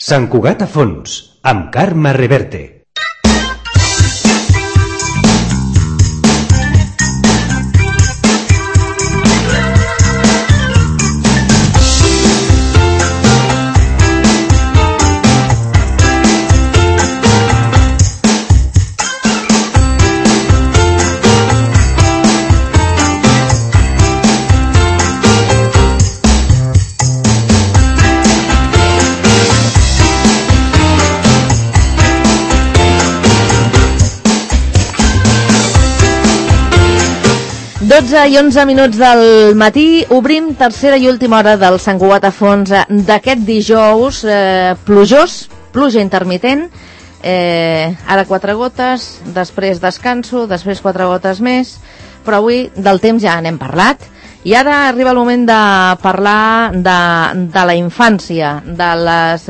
Sant Cugat a fons, amb Carme Reverte. I 11 minuts del matí, obrim tercera i última hora del Sant Cugat a fons d'aquest dijous plujós, pluja intermitent, ara 4 gotes, després descanso, després 4 gotes més, però avui del temps ja n'hem parlat, i ara arriba el moment de parlar de la infància, de les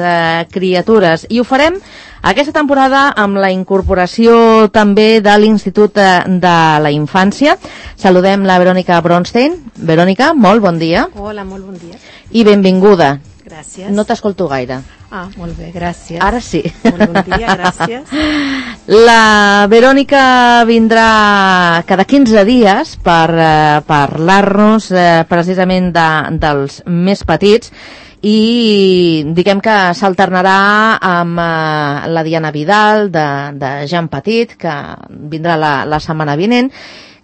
criatures, i ho farem aquesta temporada amb la incorporació també de l'Institut de la Infància. Saludem la Verònica Bronstein. Verònica, molt bon dia. Hola, molt bon dia. I benvinguda. Gràcies. No t'escolto gaire. Ah, molt bé, gràcies. Ara sí. Molt bon dia, gràcies. La Verònica vindrà cada 15 dies per parlar-nos precisament dels més petits, i diguem que s'alternarà amb la Diana Vidal de Jean Petit, que vindrà la setmana vinent,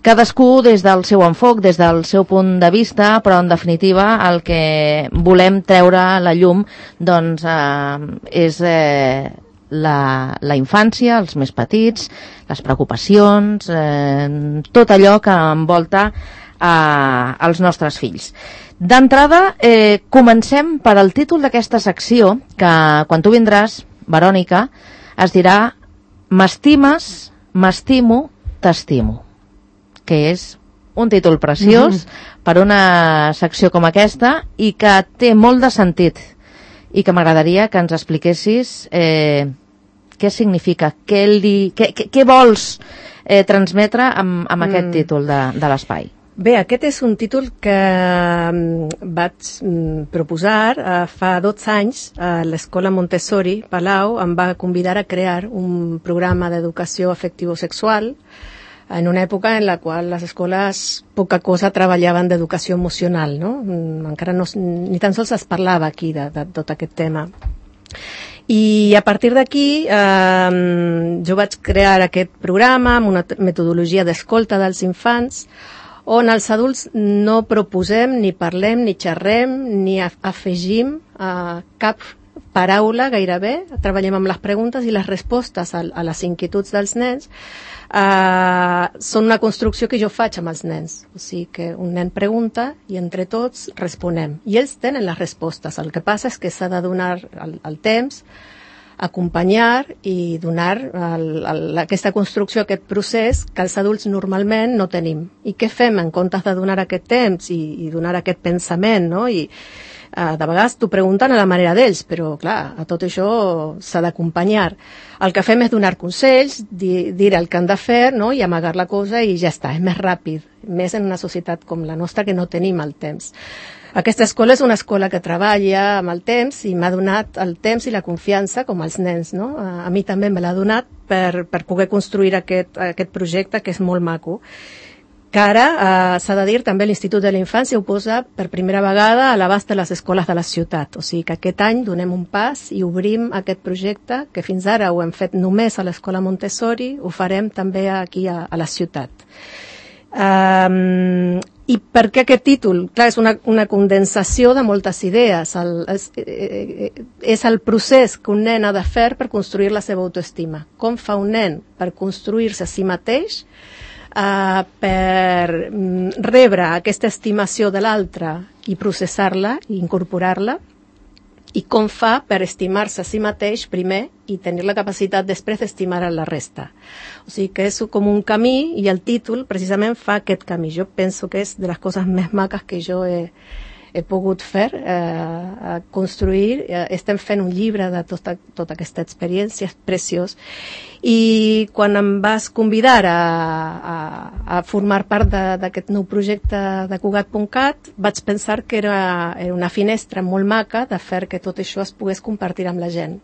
cadascú des del seu enfoc, des del seu punt de vista, però en definitiva el que volem treure a la llum doncs és la infància, els més petits, les preocupacions, tot allò que envolta als nostres fills. D'entrada, comencem per al títol d'aquesta secció, que quan tu vindràs, Verònica, es dirà M'estimes, m'estimo, t'estimo, que és un títol preciós per una secció com aquesta i que té molt de sentit, i que m'agradaria que ens expliquessis què significa, què vols transmetre amb aquest títol de l'espai. Bé, aquest és un títol que vaig proposar fa 12 anys a l'Escola Montessori Palau. Em va convidar a crear un programa d'educació afectivo-sexual en una època en la qual les escoles poca cosa treballaven d'educació emocional, no? Encara ni tan sols es parlava aquí de tot aquest tema. I a partir d'aquí jo vaig crear aquest programa amb una metodologia d'escolta dels infants, on els adults no proposem, ni parlem, ni xerrem, ni afegim cap paraula gairebé. Treballem amb les preguntes i les respostes a les inquietuds dels nens. Són una construcció que jo faig amb els nens. O sigui que un nen pregunta i entre tots responem. I ells tenen les respostes. El que passa és que s'ha de donar el temps, acompanyar i donar aquesta construcció, aquest procés que els adults normalment no tenim. I què fem en comptes de donar aquest temps i donar aquest pensament, no? I de vegades t'ho pregunten a la manera d'ells, però clar, a tot això s'ha d'acompanyar. El que fem és donar consells, dir el que han de fer, no? I amagar la cosa i ja està, és més ràpid, més en una societat com la nostra que no tenim el temps. Aquesta escola és una escola que treballa amb el temps i m'ha donat el temps i la confiança com els nens, no? A mi també me l'ha donat per poder construir aquest projecte que és molt maco. Que ara, s'ha de dir, també l'Institut de la Infància ho posa per primera vegada a l'abast de les escoles de la ciutat. O sigui que aquest any donem un pas i obrim aquest projecte que fins ara ho hem fet només a l'Escola Montessori, ho farem també aquí a la ciutat. I per què aquest títol? Clar, és una condensació de moltes idees. És el procés que un nen ha de fer per construir la seva autoestima. Com fa un nen per construir-se a si mateix, per rebre aquesta estimació de l'altre i processar-la i incorporar-la, i com fa per estimar-se a si mateix primer i tenir la capacitat després d'estimar a la resta. O sigui que és com un camí i el títol precisament fa aquest camí. Jo penso que és de les coses més maques que jo he he pogut fer, construir, estem fent un llibre de tota aquesta experiència, és preciós, i quan em vas convidar a formar part d'aquest nou projecte de Cugat.cat, vaig pensar que era una finestra molt maca de fer que tot això es pogués compartir amb la gent,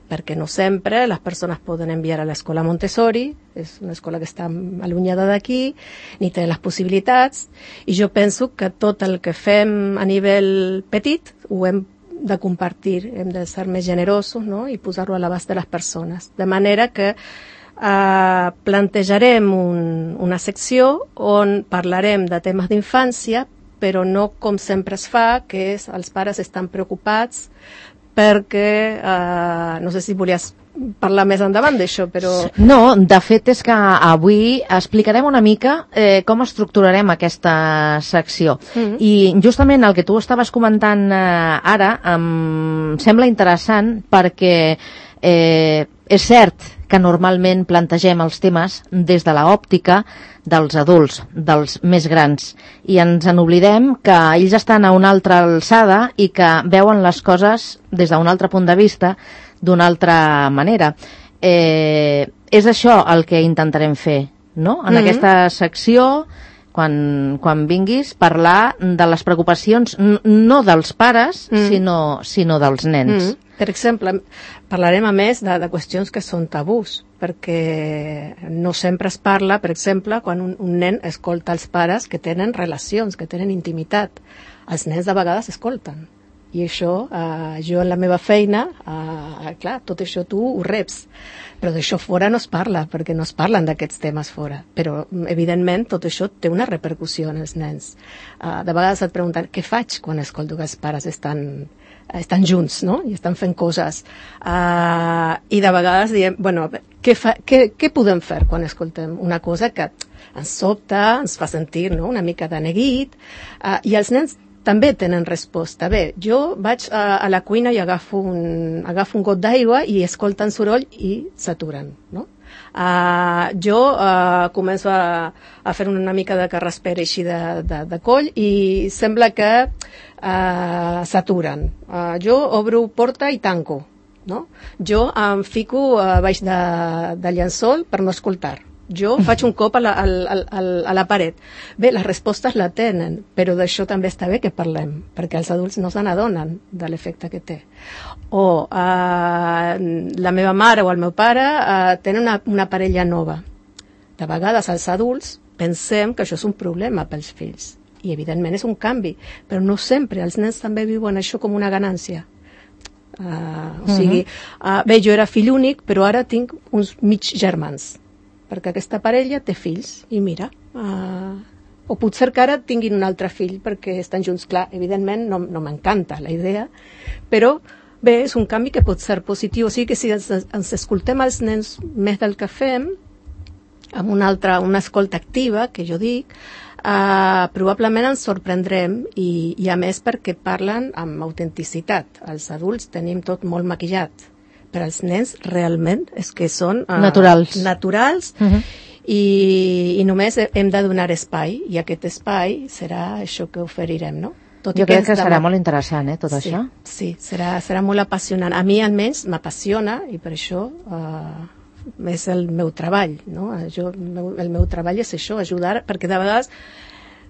perquè no sempre les persones poden enviar a l'escola Montessori, és una escola que està allunyada d'aquí, ni té les possibilitats, i jo penso que tot el que fem a nivell petit ho hem de compartir, hem de ser més generosos, no? I posar-ho a l'abast de les persones. De manera que plantejarem una secció on parlarem de temes d'infància, però no com sempre es fa, que és els pares estan preocupats perquè, no sé si volies parlar més endavant d'això, però... No, de fet és que avui explicarem una mica com estructurarem aquesta secció. I justament el que tu estaves comentant ara em sembla interessant perquè és cert que normalment plantegem els temes des de l'òptica dels adults, dels més grans, i ens en oblidem que ells estan a una altra alçada i que veuen les coses des d'un altre punt de vista, d'una altra manera. És això el que intentarem fer, no? En aquesta secció, quan vinguis, parlar de les preocupacions no dels pares, sinó dels nens. Per exemple, parlarem a més de qüestions que són tabús, perquè no sempre es parla, per exemple, quan un nen escolta els pares que tenen relacions, que tenen intimitat. Els nens de vegades escolten. I això, jo en la meva feina, clar, tot això tu ho reps, però d'això fora no es parla, perquè no es parlen d'aquests temes fora. Però, evidentment, tot això té una repercussió en els nens. De vegades et pregunten, què faig quan escolto que els pares estan junts, no? I estan fent coses. I de vegades diem, bueno, què podem fer quan escoltem una cosa que ens sobta, ens fa sentir, no?, una mica de neguit, i els nens també tenen resposta. Bé, jo vaig a la cuina i agafo un got d'aigua i escolten soroll i s'aturen, no? Jo començo a fer una mica de carraspera així de coll i sembla que s'aturen. Jo obro porta i tanco, no? Jo em fico baix de llençol per no escoltar. Jo faig un cop a la paret. Bé, les respostes la tenen, però d'això també està bé que parlem, perquè els adults no se n'adonen de l'efecte que té. O la meva mare o el meu pare tenen una parella nova. De vegades els adults pensem que això és un problema pels fills, i evidentment és un canvi, però no sempre. Els nens també viuen això com una ganància. O sigui, bé, jo era fill únic, però ara tinc uns mig germans, perquè aquesta parella té fills, i mira, o potser que ara tinguin un altre fill perquè estan junts. Clar, evidentment no m'encanta la idea, però bé, és un canvi que pot ser positiu. O sigui que si ens escoltem els nens més del que fem, amb una escolta activa, que jo dic, probablement ens sorprendrem, i a més perquè parlen amb autenticitat. Els adults tenim tot molt maquillat, però els nens realment és que són naturals, i només hem de donar espai, i aquest espai serà això que oferirem, no? Jo crec que serà molt interessant, tot això. Sí, serà molt apassionant. A mi almenys m'apassiona, i per això és el meu treball, no? El meu treball és això, ajudar, perquè de vegades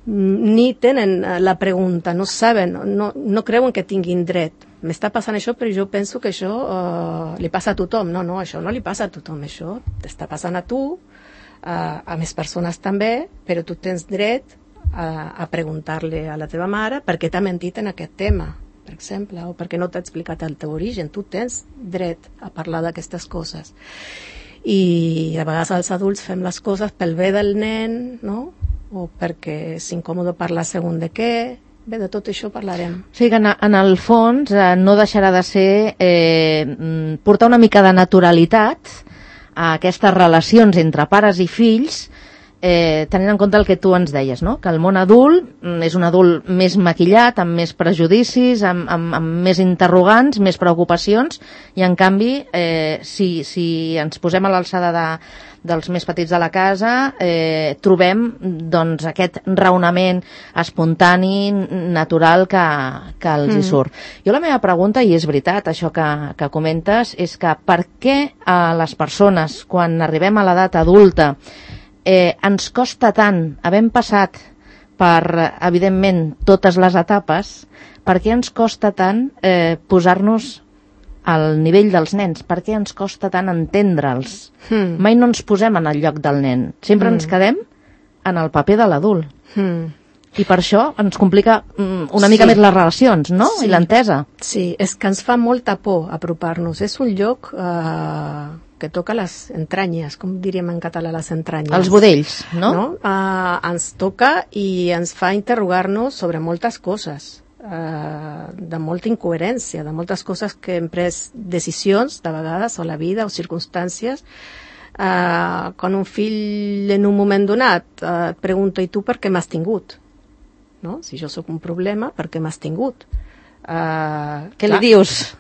ni tenen la pregunta, no saben, no creuen que tinguin dret. M'està passant això, però jo penso que això li passa a tothom. No, això no li passa a tothom, això t'està passant a tu, a més persones també, però tu tens dret a preguntar-li a la teva mare per què t'ha mentit en aquest tema, per exemple, o perquè no t'ha explicat el teu origen. Tu tens dret a parlar d'aquestes coses. I a vegades els adults fem les coses pel bé del nen, no?, o perquè és incòmode parlar segons de què. Bé, de tot això parlarem. O sigui que en el fons no deixarà de ser portar una mica de naturalitat a aquestes relacions entre pares i fills, tenint en compte el que tu ens deies, no? Que el món adult és un adult més maquillat, amb més prejudicis, amb més interrogants, més preocupacions, i en canvi, si ens posem a l'alçada dels més petits de la casa, trobem doncs, aquest raonament espontani, natural, que els hi surt. Jo la meva pregunta, i és veritat això que comentes, és que per què a les persones, quan arribem a l'edat adulta, ens costa tant, havent passat per, evidentment, totes les etapes, per què ens costa tant posar-nos al nivell dels nens? Per què ens costa tant entendre'ls? Mai no ens posem en el lloc del nen. Sempre ens quedem en el paper de l'adult. I per això ens complica una mica més les relacions, no? Sí. I l'entesa. Sí, és que ens fa molta por apropar-nos. És un lloc que toca les entranyes, com diríem en català, les entranyes. Els budells, no? Ens toca i ens fa interrogar-nos sobre moltes coses, de molta incoherència, de moltes coses que hem pres decisions, de vegades, o la vida, o circumstàncies. Quan un fill en un moment donat et pregunta, i tu per què m'has tingut? No? Si jo sóc un problema, per què m'has tingut? Què li dius?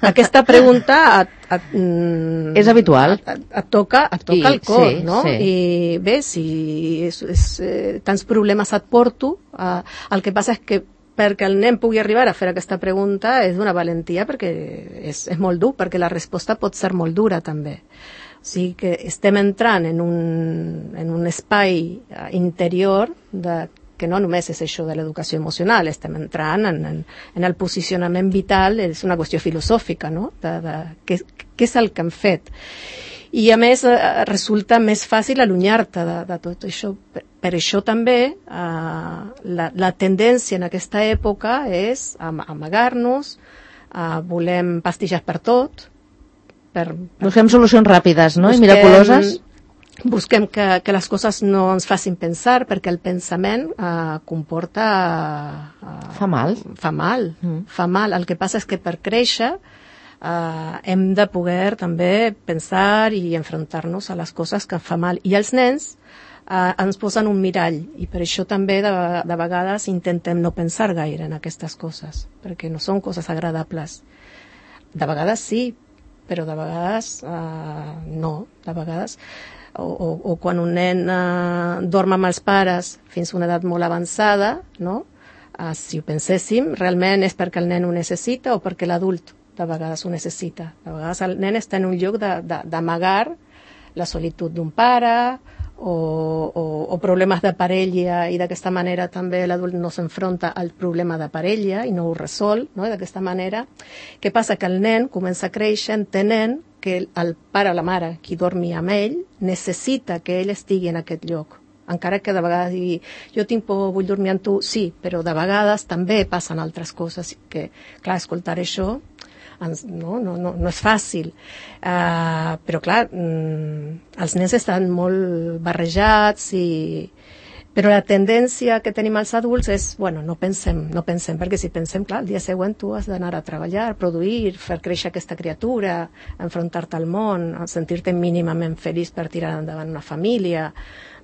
Aquesta pregunta és habitual. Et toca el cor, sí, no? Sí. I bé, si tants problemes et porto, el que passa és que perquè el nen pugui arribar a fer aquesta pregunta és d'una valentia, perquè és molt dur, perquè la resposta pot ser molt dura també. O sigui que estem entrant en un espai interior que no només és això de l'educació emocional, estem entrant en el posicionament vital, és una qüestió filosòfica, no? Què és el que hem fet. I a més resulta més fàcil allunyar-te de tot això. Per això també la tendència en aquesta època és amagar-nos, volem pastilles per tot, busquem solucions ràpides, no? I miraculoses. Busquem que les coses no ens facin pensar, perquè el pensament comporta... Fa mal. Fa mal. El que passa és que per créixer hem de poder també pensar i enfrontar-nos a les coses que fa mal. I els nens ens posen un mirall, i per això també de vegades intentem no pensar gaire en aquestes coses, perquè no són coses agradables. De vegades sí, però de vegades no. De vegades... O quan un nen dorm amb els pares fins a una edat molt avançada, no? Si ho penséssim, realment és perquè el nen ho necessita o perquè l'adult de vegades ho necessita. De vegades el nen està en un lloc d'amagar la solitud d'un pare o problemes de parella, i d'aquesta manera també l'adult no s'enfronta al problema de parella i no ho resol, no? D'aquesta manera, què passa? Que el nen comença a créixer entenent que el pare o la mare, qui dormi amb ell, necessita que ell estigui en aquest lloc. Encara que de vegades digui, jo tinc por, vull dormir amb tu, sí, però de vegades també passen altres coses, que, clar, escoltar això no és fàcil. Però, clar, els nens estan molt barrejats però la tendència que tenim els adults és, no pensem, perquè si pensem, clar, el dia següent tu has d'anar a treballar, produir, fer créixer aquesta criatura, enfrontar-te al món, sentir-te mínimament feliç per tirar endavant una família,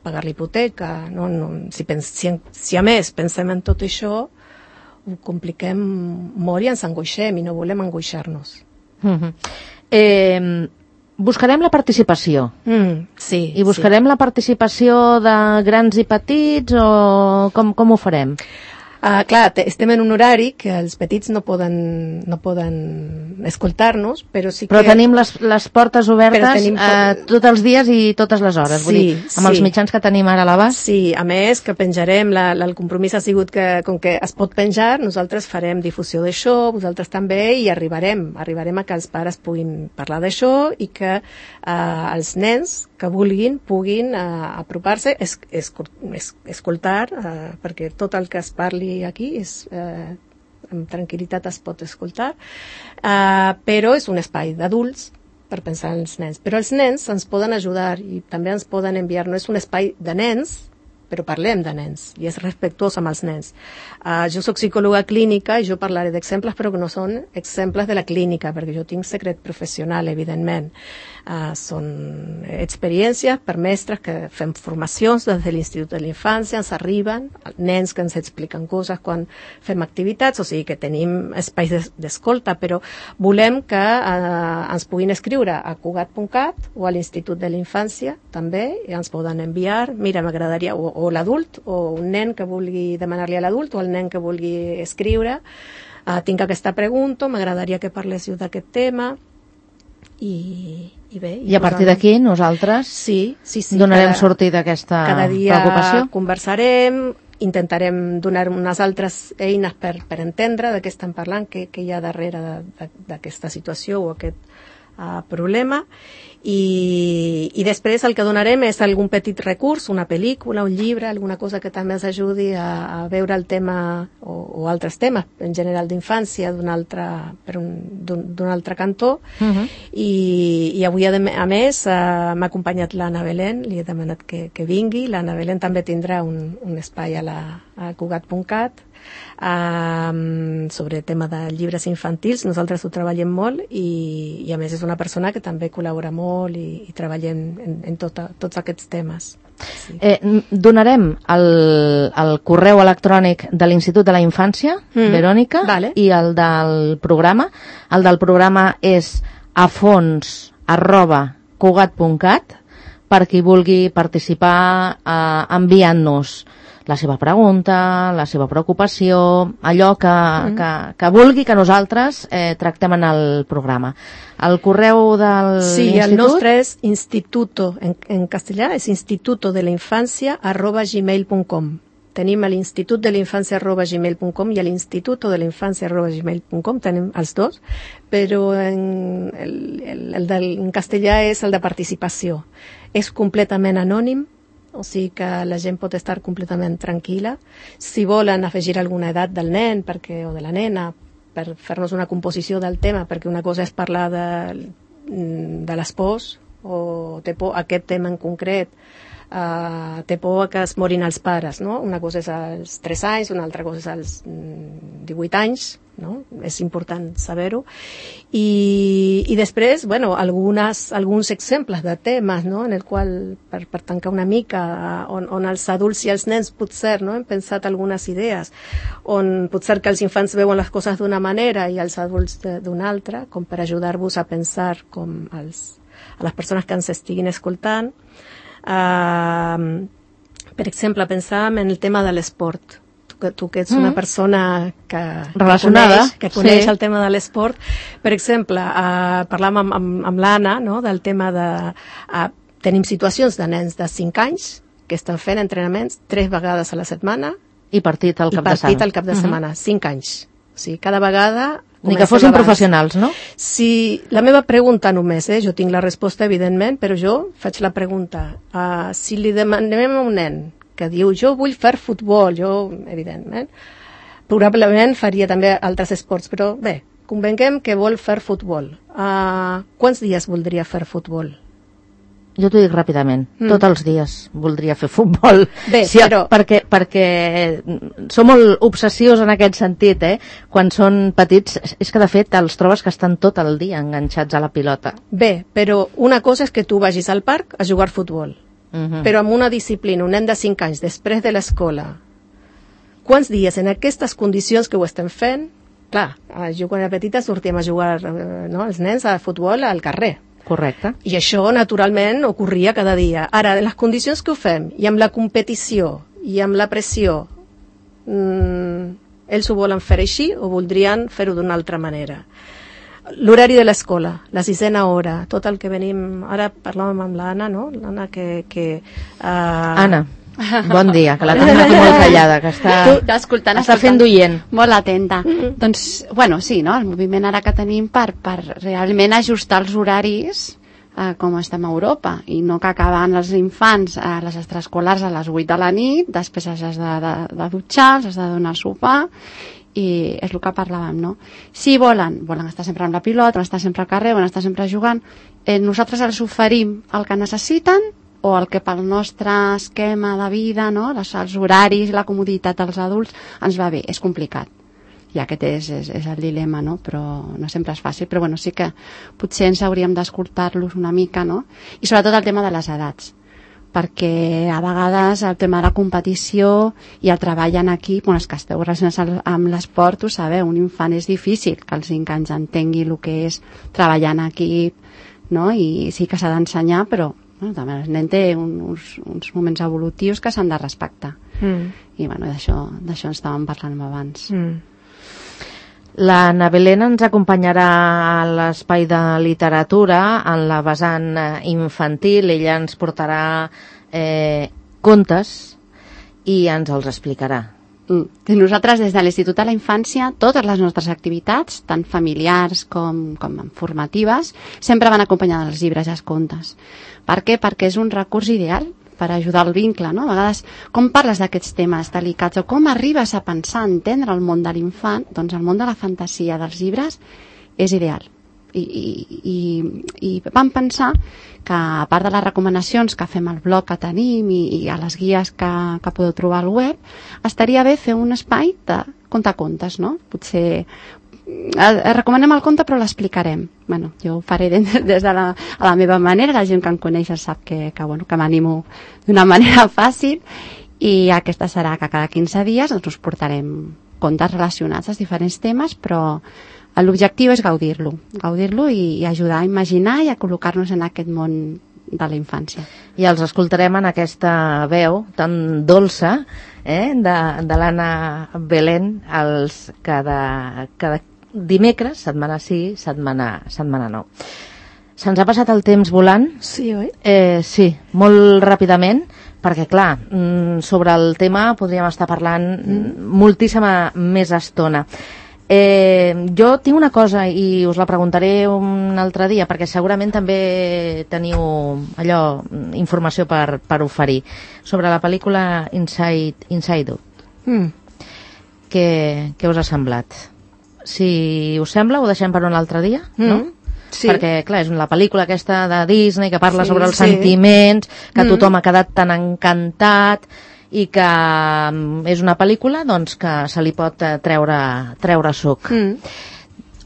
pagar l'hipoteca, no? Si a més pensem en tot això, ho compliquem molt i ens angoixem, i no volem angoixar-nos. Buscarem la participació. Sí. I buscarem la participació de grans i petits, o com ho farem? Clar, estem en un horari que els petits no poden escoltar-nos, però sí que... Però tenim les portes obertes tots els dies i totes les hores, sí, vull dir, amb els mitjans que tenim ara a l'abast. Sí, a més que penjarem, el compromís ha sigut que, com que es pot penjar, nosaltres farem difusió d'això, vosaltres també, i arribarem a que els pares puguin parlar d'això i que els nens que puguin apropar-se, escoltar, perquè tot el que es parli aquí amb tranquil·litat es pot escoltar, però és un espai d'adults per pensar en els nens. Però els nens ens poden ajudar i també ens poden enviar, no és un espai de nens, però parlem de nens i és respectuós amb els nens. Jo soc psicòloga clínica i jo parlaré d'exemples, però que no són exemples de la clínica, perquè jo tinc secret professional, evidentment. Són experiències per mestres que fem formacions des de l'Institut de la Infància, ens arriben nens que ens expliquen coses quan fem activitats, o sigui que tenim espais d'escolta, però volem que ens puguin escriure a cugat.cat o a l'Institut de la Infància també, i ens poden enviar, mira, m'agradaria, o l'adult, o un nen que vulgui demanar-li a l'adult, o el nen que vulgui escriure, tinc aquesta pregunta, m'agradaria que parléssiu d'aquest tema, i bé... I a partir d'aquí nosaltres donarem sortida a aquesta preocupació. Cada dia conversarem, intentarem donar unes altres eines per entendre de què estem parlant, què hi ha darrere d'aquesta situació o aquest problema, i després el que donarem és algun petit recurs, una pel·lícula, un llibre, alguna cosa que també ens ajudi a veure el tema o altres temes en general d'infància d'un altre cantó. I avui a més m'ha acompanyat l'Anna Belén, li he demanat que vingui. L'Anna Belén també tindrà un espai a cugat.cat sobre el tema de llibres infantils. Nosaltres ho treballem molt i a més és una persona que també col·labora molt i treballem en tots aquests temes. Sí. Donarem el correu electrònic de l'Institut de la Infància, Verònica, vale. I el del programa. El del programa és afons@cugat.cat per qui vulgui participar enviant-nos la seva pregunta, la seva preocupació, allò que vulgui que nosaltres tractem en el programa. El correu del Sí, institut... el nostre és instituto, en castellà és institutodeleinfancia@gmail.com. Tenim l'Institut de la Infància@gmail.com i l'Instituto de la Infància@gmail.com, tenim els dos, però en castellà és el de participació. És completament anònim, o sigui que la gent pot estar completament tranquil·la. Si volen afegir alguna edat del nen o de la nena per fer-nos una composició del tema, perquè una cosa és parlar de les pors, o té por aquest tema en concret, té por que es morin els pares, no? Una cosa és als 3 anys, una altra cosa és als 18 anys, no? És important saber-ho. I després, bueno, alguns exemples de temes, no? En el qual, per tancar una mica, on els adults i els nens potser, no? Hem pensat algunes idees, on potser que els infants veuen les coses d'una manera i els adults d'una altra, com per ajudar-vos a pensar com a les persones que ens estiguin escoltant. Per exemple, pensàvem en el tema de l'esport. Tu que ets una persona relacionada, que coneix el tema de l'esport. Per exemple, parlàvem amb l'Anna, no?, del tema de... tenim situacions de nens de 5 anys que estan fent entrenaments 3 vegades a la setmana i partit al cap de setmana. 5 anys. O sigui, cada vegada... Ni que fossin professionals, no? Sí, la meva pregunta només, jo tinc la resposta, evidentment, però jo faig la pregunta. Si li demanem a un nen que diu, jo vull fer futbol, jo, evidentment, probablement faria també altres esports, però bé, convenguem que vol fer futbol. Quants dies voldria fer futbol? Jo t'ho dic ràpidament, tots els dies voldria fer futbol. Bé, sí, però... perquè som molt obsessius en aquest sentit, quan són petits, és que de fet els trobes que estan tot el dia enganxats a la pilota. Bé, però una cosa és que tu vagis al parc a jugar futbol, però amb una disciplina, un nen de 5 anys, després de l'escola, quants dies en aquestes condicions que ho estem fent? Clar, jo quan era petita sortíem a jugar, els nens a futbol al carrer. Correcte. I això, naturalment, ocorria cada dia. Ara, en les condicions que ho fem, i amb la competició, i amb la pressió, ells ho volen fer així o voldrien fer-ho d'una altra manera? L'horari de l'escola, la 6a hora, tot el que venim... Ara parlàvem amb l'Anna, no? L'Anna Anna, bon dia, que la tenim aquí molt callada, que està fent d'oient. Molt atenta. Doncs, bueno, sí, no? El moviment ara que tenim per realment ajustar els horaris com estem a Europa, i no que acaben els infants a les extraescolars a les 8 de la nit, després els has de dutxar, els has de donar sopar, i és el que parlàvem, no? Si volen estar sempre amb la pilota, volen estar sempre al carrer, volen estar sempre jugant, nosaltres els oferim el que necessiten o el que pel nostre esquema de vida, no? Els horaris i la comoditat dels adults ens va bé, és complicat. I aquest és el dilema, no? Però no sempre és fàcil, però bueno, sí que potser ens hauríem d'escoltar-los una mica, no? I sobretot el tema de les edats, perquè a vegades el tema de la competició i el treball en equip, bueno, els que esteu relacionats amb l'esport, ho sabeu, un infant és difícil que als 5 anys entengui el que és treballar en equip, no? I sí que s'ha d'ensenyar, però bueno, també el nen té uns moments evolutius que s'han de respectar. I bueno, d'això en estàvem parlant abans. La Belén ens acompanyarà a l'espai de literatura en la vessant infantil. Ella ens portarà contes i ens els explicarà. Nosaltres des de l'Institut de la Infància totes les nostres activitats, tant familiars com formatives, sempre van acompanyades dels llibres i els contes. Per què? Perquè és un recurs ideal per ajudar el vincle, no? A vegades, com parles d'aquests temes delicats o com arribes a pensar, a entendre el món de l'infant, doncs el món de la fantasia dels llibres és ideal. I vam pensar que, a part de les recomanacions que fem al blog que tenim i a les guies que podeu trobar al web, estaria bé fer un espai de contar contes, no? Potser recomanem el conte però l'explicarem. Bueno, jo ho faré des de la meva manera, la gent que em coneix sap que m'animo d'una manera fàcil, i aquesta serà que cada 15 dies us portarem contes relacionats als diferents temes, però l'objectiu és gaudir-lo i ajudar a imaginar i a col·locar-nos en aquest món de la infància. I els escoltarem en aquesta veu tan dolça de l'Anna Belén cada dimecres, setmana sí, setmana no. Se'ns ha passat el temps volant? Sí, oi? Sí, molt ràpidament, perquè clar, sobre el tema podríem estar parlant moltíssima més estona. Jo tinc una cosa i us la preguntaré un altre dia, perquè segurament també teniu informació per oferir sobre la pel·lícula Inside Out. Què us ha semblat? Si us sembla, ho deixem per un altre dia, no? Sí. Perquè, clar, és la pel·lícula aquesta de Disney que parla sobre els sentiments, que tothom ha quedat tan encantat, i que és una pel·lícula doncs, que se li pot treure suc.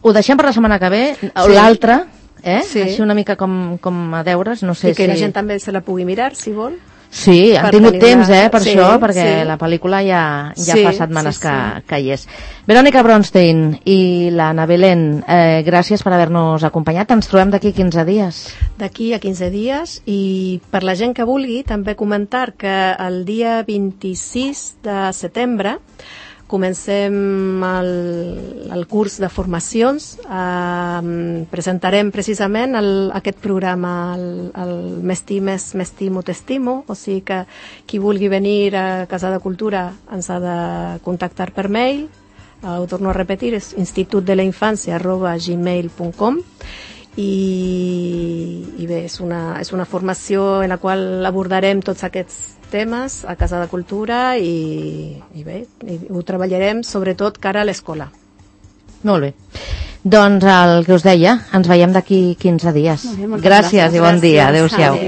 Ho deixem per la setmana que ve, l'altra, així una mica com a deures, no sé si... I que la gent també se la pugui mirar, si vol. Sí, han tingut temps per això, perquè la pel·lícula ja fa setmanes que hi és. Verònica Bronstein i l'Anna Belén, gràcies per haver-nos acompanyat. Ens trobem d'aquí 15 dies. D'aquí a 15 dies, i per la gent que vulgui també comentar que el dia 26 de setembre comencem el curs de formacions. Presentarem precisament aquest programa, el M'estimo, t'estimo, o sigui que qui vulgui venir a Casa de Cultura ens ha de contactar per mail. Ho torno a repetir, és institutdeleinfancia@gmail.com. I bé, és una formació en la qual abordarem tots aquests temes a Casa de Cultura i bé, ho treballarem sobretot cara a l'escola. Molt bé. Doncs el que us deia, ens veiem d'aquí 15 dies. Gràcies i bon dia. Adéu-siau.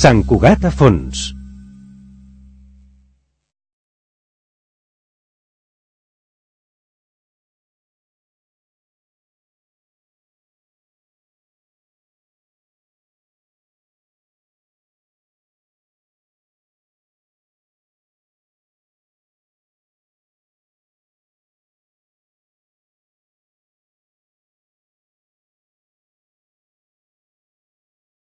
Sant Cugat a fons.